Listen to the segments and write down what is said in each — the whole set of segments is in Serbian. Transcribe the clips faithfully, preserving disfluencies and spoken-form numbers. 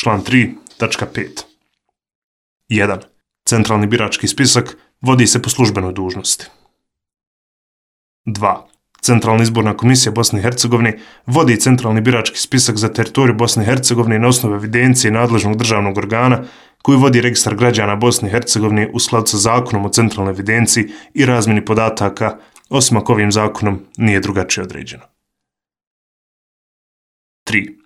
Član tri tačka pet. jedan. Centralni birački spisak vodi se po službenoj dužnosti. dva. Centralna izborna komisija Bosne i Hercegovine vodi centralni birački spisak za teritoriju Bosne i Hercegovine na osnovu evidencije nadležnog državnog organa koji vodi registar građana Bosne i Hercegovine u skladu sa zakonom o centralnoj evidenciji i razmjeni podataka, osim ako ovim zakonom nije drugačije određeno. tri.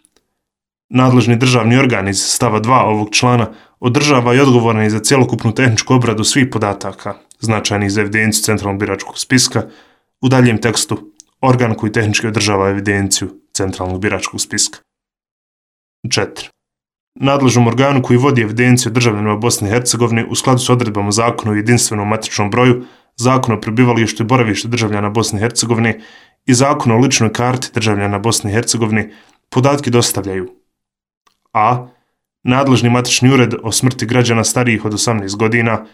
Nadležni državni organ iz stava dva ovog člana održava i odgovoran je za cjelokupnu tehničku obradu svih podataka značajnih za evidenciju centralnog biračkog spiska. U daljem tekstu, organ koji tehnički održava evidenciju centralnog biračkog spiska. četiri. Nadležnom organu koji vodi evidenciju državljanima Bosne i Hercegovine u skladu s odredbama Zakona o jedinstvenom matičnom broju, Zakona o prebivalištu i boravištu državljana Bosne i Hercegovine i Zakona o ličnoj karti državljana Bosne i Hercegovine podatke dostavljaju a. Nadležni matični ured o smrti građana starijih od osamnaest godina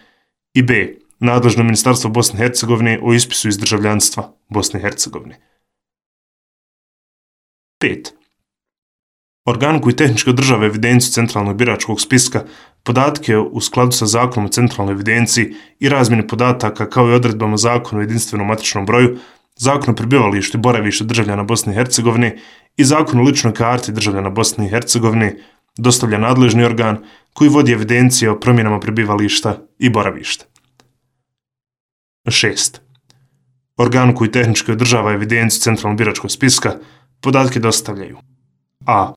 i b. Nadležno ministarstvo Bosne i Hercegovine o ispisu iz državljanstva Bosne i Hercegovine. pet. Organ koji tehnički održava evidenciju centralnog biračkog spiska, podatke u skladu sa Zakonom o centralnoj evidenciji i razmjeni podataka kao i odredbama Zakona o jedinstvenom matičnom broju, Zakon o prebivalištu i boravištu državljana Bosne i Hercegovine i Zakon o ličnoj karti državljana Bosne i Hercegovine dostavlja nadležni organ koji vodi evidencije o promjenama prebivališta i boravišta. šest. Organ koji tehnički održava evidenciju centralnog biračkog spiska podatke dostavljaju a.